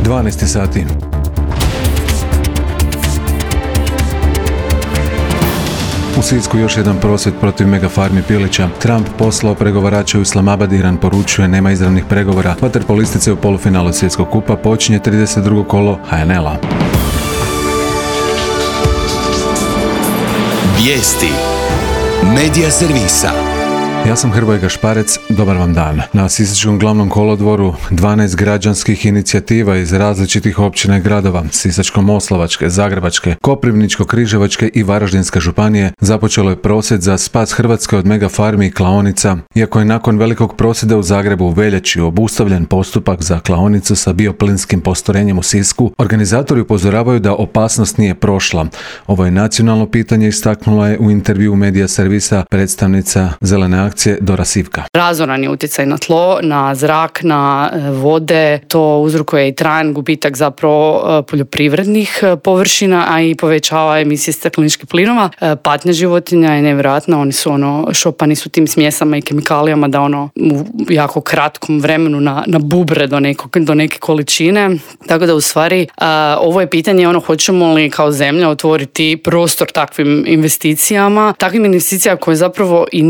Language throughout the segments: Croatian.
12 sati. U Sisku još jedan prosvjed protiv megafarmi pilića. Trump poslao pregovarače u Islamabad, Iran poručuje nema izravnih pregovora. Vaterpolistice u polufinalu svjetskog kupa počinje 32. kolo HNL-a. Vijesti Medija servisa. Ja sam Hrvoje Gašparec, dobar vam dan. Na Sisačkom glavnom kolodvoru 12 građanskih inicijativa iz različitih općina i gradova, Sisačko-moslavačke, Zagrebačke, Koprivničko-križevačke i Varaždinske županije, započelo je prosvjed za spas Hrvatske od megafarmi i klaonica. Iako je nakon velikog prosvjeda u Zagrebu u veljači obustavljen postupak za klaonicu sa bioplinskim postrojenjem u Sisku, organizatori upozoravaju da opasnost nije prošla. Ovo je nacionalno pitanje, istaknula je u intervjuu Medija servisa predstavnica Zelene akcije Dora Sivka. Razoran je utjecaj na tlo, na zrak, na vode, to uzrokuje i trajan gubitak zapravo poljoprivrednih površina, a i povećava emisije stakleničkih plinova. Patnja životinja je nevjerojatna, oni su šopani su tim smjesama i kemikalijama da u jako kratkom vremenu na bubre do neke količine. Tako da u stvari ovo je pitanje hoćemo li kao zemlja otvoriti prostor takvim investicijama koje zapravo i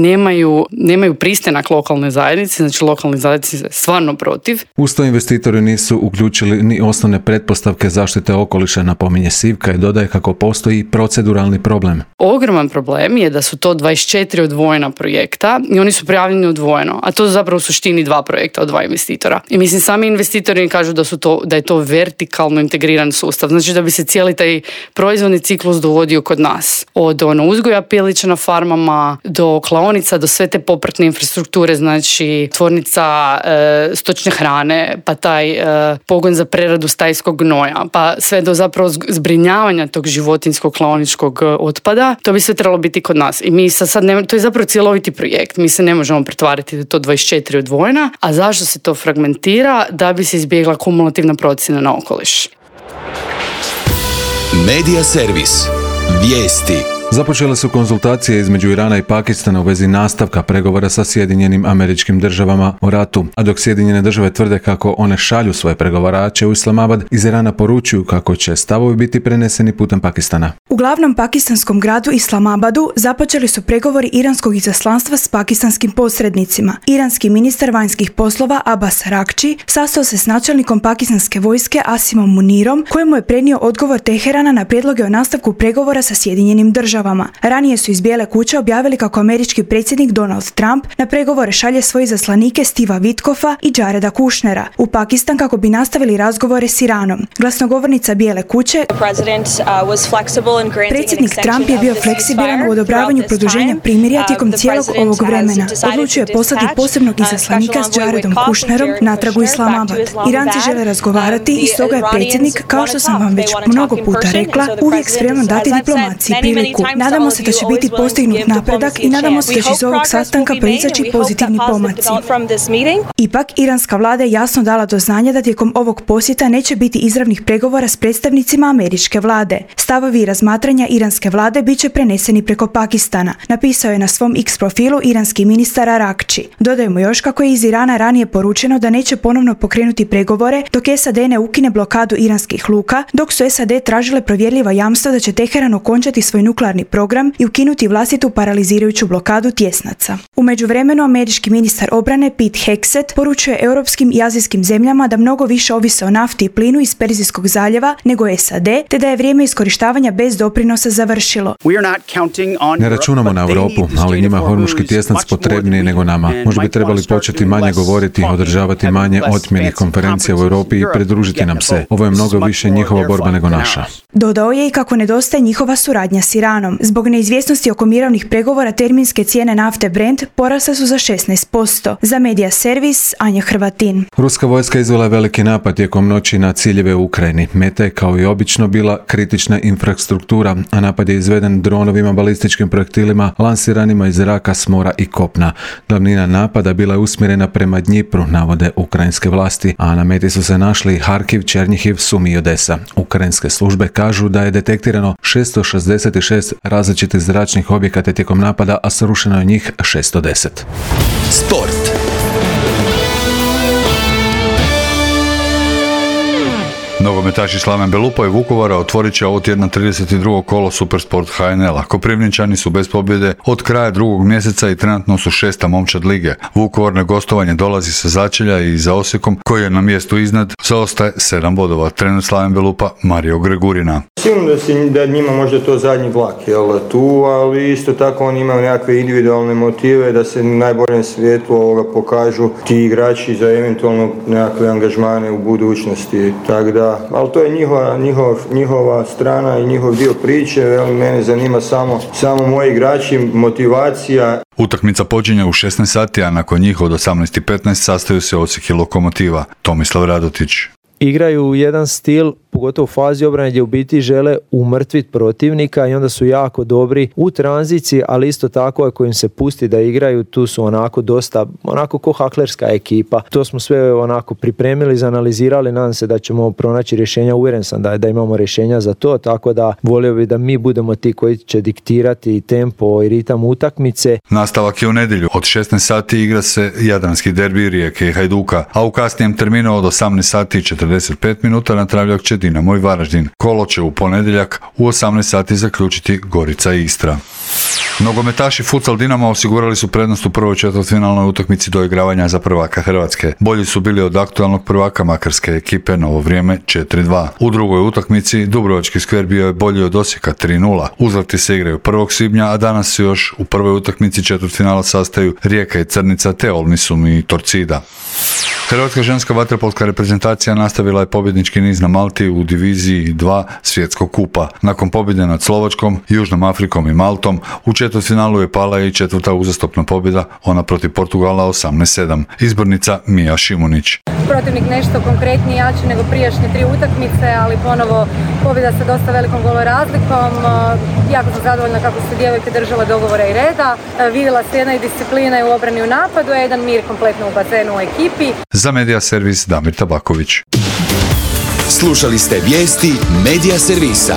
nemaju pristanak lokalne zajednice, znači lokalne zajednice su stvarno protiv. Uz to investitori nisu uključili ni osnovne pretpostavke zaštite okoliša, napominje Sivka i dodaje kako postoji proceduralni problem. Ogroman problem je da su to 24 odvojena projekta i oni su prijavljeni odvojeno, a to su zapravo u suštini 2 projekta od 2 investitora. I mislim, sami investitori kažu da je to vertikalno integriran sustav, znači da bi se cijeli taj proizvodni ciklus dovodio kod nas. Od uzgoja pilića na farmama do klaonica, do sve te popratne infrastrukture, znači tvornica stočne hrane, pa taj pogon za preradu stajskog gnoja, pa sve do zapravo zbrinjavanja tog životinjskog klaoničkog otpada, to bi sve trebalo biti kod nas. I mi sad to je zapravo cjeloviti projekt, mi se ne možemo pretvariti da to 24 odvojena, a zašto se to fragmentira? Da bi se izbjegla kumulativna procjena na okoliš. Medija servis. Vijesti. Započele su konzultacije između Irana i Pakistana u vezi nastavka pregovora sa Sjedinjenim Američkim Državama o ratu, a dok Sjedinjene Države tvrde kako one šalju svoje pregovarače u Islamabad, iz Irana poručuju kako će stavovi biti preneseni putem Pakistana. U glavnom pakistanskom gradu Islamabadu započeli su pregovori iranskog izaslanstva s pakistanskim posrednicima. Iranski ministar vanjskih poslova Abbas Araghchi sastao se s načelnikom pakistanske vojske Asimom Munirom, kojemu je prenio odgovor Teherana na prijedloge o nastavku pregovora sa Sjedinjenim Državama. Ranije su iz Bijele kuće objavili kako američki predsjednik Donald Trump na pregovore šalje svoje izaslanike Steva Witkoffa i Jareda Kushnera u Pakistan kako bi nastavili razgovore s Iranom. Glasnogovornica Bijele kuće, predsjednik Trump je bio fleksibilan u odobravanju produženja primirja tijekom cijelog ovog vremena. Odlučio je poslati posebnog izaslanika s Jaredom Kushnerom natrag u Islamabad. Iranci žele razgovarati i stoga je predsjednik, kao što sam vam već mnogo puta rekla, uvijek spreman dati diplomaciji priliku. Nadamo se da će biti postignut napredak i nadamo se da će iz ovog sastanka proizaći pozitivni pomaci. Ipak, iranska vlada je jasno dala do znanja da tijekom ovog posjeta neće biti izravnih pregovora s predstavnicima američke vlade. Stavovi i razmatranja iranske vlade bit će preneseni preko Pakistana, napisao je na svom X profilu iranski ministar Araghchi. Dodajemo još kako je iz Irana ranije poručeno da neće ponovno pokrenuti pregovore dok SAD ne ukine blokadu iranskih luka, dok su SAD tražile provjerljiva jamstva da će Teheran okončati svoj nuklearni program i ukinuti vlastitu paralizirajuću blokadu tjesnaca. U međuvremenu američki ministar obrane Pete Hegseth poručuje europskim i azijskim zemljama da mnogo više ovise o nafti i plinu iz Perzijskog zaljeva nego SAD, te da je vrijeme iskorištavanja bez doprinosa završilo. Ne računamo na Europu, ali njima hormuški tjesnac potrebniji nego nama. Možda bi trebali početi manje govoriti, održavati manje otmjenih konferencija u Europi i pridružiti nam se. Ovo je mnogo više njihova borba nego naša. Dodao je i kako nedostaje njihova suradnja s Iranom. Zbog neizvjesnosti oko mirovnih pregovora terminske cijene nafte Brent porasle su za 16%. Za Medija servis, Anja Hrvatin. Ruska vojska izvela je veliki napad tijekom noći na ciljeve u Ukrajini. Meta je kao i obično bila kritična infrastruktura, a napad je izveden dronovima, balističkim projektilima, lansiranima iz zraka, s mora i kopna. Glavnina napada bila je usmjerena prema Dnjipru, navode ukrajinske vlasti, a na meti su se našli Harkiv, Černjihiv, Sumi i Odesa. Ukrajinske službe kažu da je detektirano 666 različitih zračnih objekata tijekom napada, a srušeno je njih 610. Sport. Nogometaši Slaven Belupa i Vukovara otvorit će ovo tjedna 32. kolo Supersport HNL-a. Koprivničani su bez pobjede od kraja drugog mjeseca i trenutno su 6. momčad lige. Vukovar na gostovanje dolazi sa začelja i za Osijekom, koji je na mjestu iznad, zaostaje 7 bodova. Trener Slaven Belupa Mario Gregurina. Sigurno da njima možda to zadnji vlak tu, ali isto tako oni imaju nekakve individualne motive da se na najboljem svijetlu pokažu ti igrači za eventualno nekakve angažmane u budućnosti. Tako da, ali to je njihova strana i njihov dio priče. Mene zanima samo moji igrači, motivacija. Utakmica počinje u 16 sati, a nakon njih od 18:15 sastaju se Osijek i Lokomotiva. Tomislav Radotić. Igraju u jedan stil, pogotovo u fazi obrane gdje u biti žele umrtviti protivnika i onda su jako dobri u tranziciji, ali isto tako ako im se pusti da igraju, tu su onako dosta, onako ko haklerska ekipa. To smo sve onako pripremili, izanalizirali, nadam se da ćemo pronaći rješenja, uvjeren sam da imamo rješenja za to, tako da volio bi da mi budemo ti koji će diktirati tempo i ritam utakmice. Nastavak je u nedjelju. Od 16 sati igra se jadranski derbi Rijeke i Hajduka, a u kasnijem terminu od 18 sati i 45 minuta na Travljak će Dinamo i Varaždin. Kolo će u ponedjeljak u 18 sati zaključiti Gorica i Istra. Nogometaši Futsal Dinama osigurali su prednost u prvoj četvrtfinalnoj utakmici doigravanja za prvaka Hrvatske. Bolji su bili od aktualnog prvaka makarske ekipe Novo vrijeme 4-2. U drugoj utakmici Dubrovački Skver bio je bolji od Osijeka 3-0. Uzvrati se igraju 1. svibnja, a danas se još u prvoj utakmici četvrtfinala sastaju Rijeka i Crnica te Olmisum i Torcida. Hrvatska ženska vaterpolska reprezentacija nastavila je pobjednički niz na Malti u diviziji 2 svjetskog kupa. Nakon pobjede nad Slovačkom, Južnom Afrikom i Maltom, u četvrtfinalu je pala i četvrta uzastopna pobjeda, ona protiv Portugala 18-7. Izbornica Mija Šimunić. Protivnik nešto konkretniji, jači nego prijašnje 3 utakmice, ali ponovo pobjeda sa dosta velikom golorazlikom. Jako sam zadovoljna kako su djevojke držale dogovora i reda. Vidjela se jedna i disciplina i u obrani i u napadu, a jedan mir kompletno u bazenu u ekipi. Za Medija Servis Damir Tabaković. Slušali ste vijesti Medija Servisa.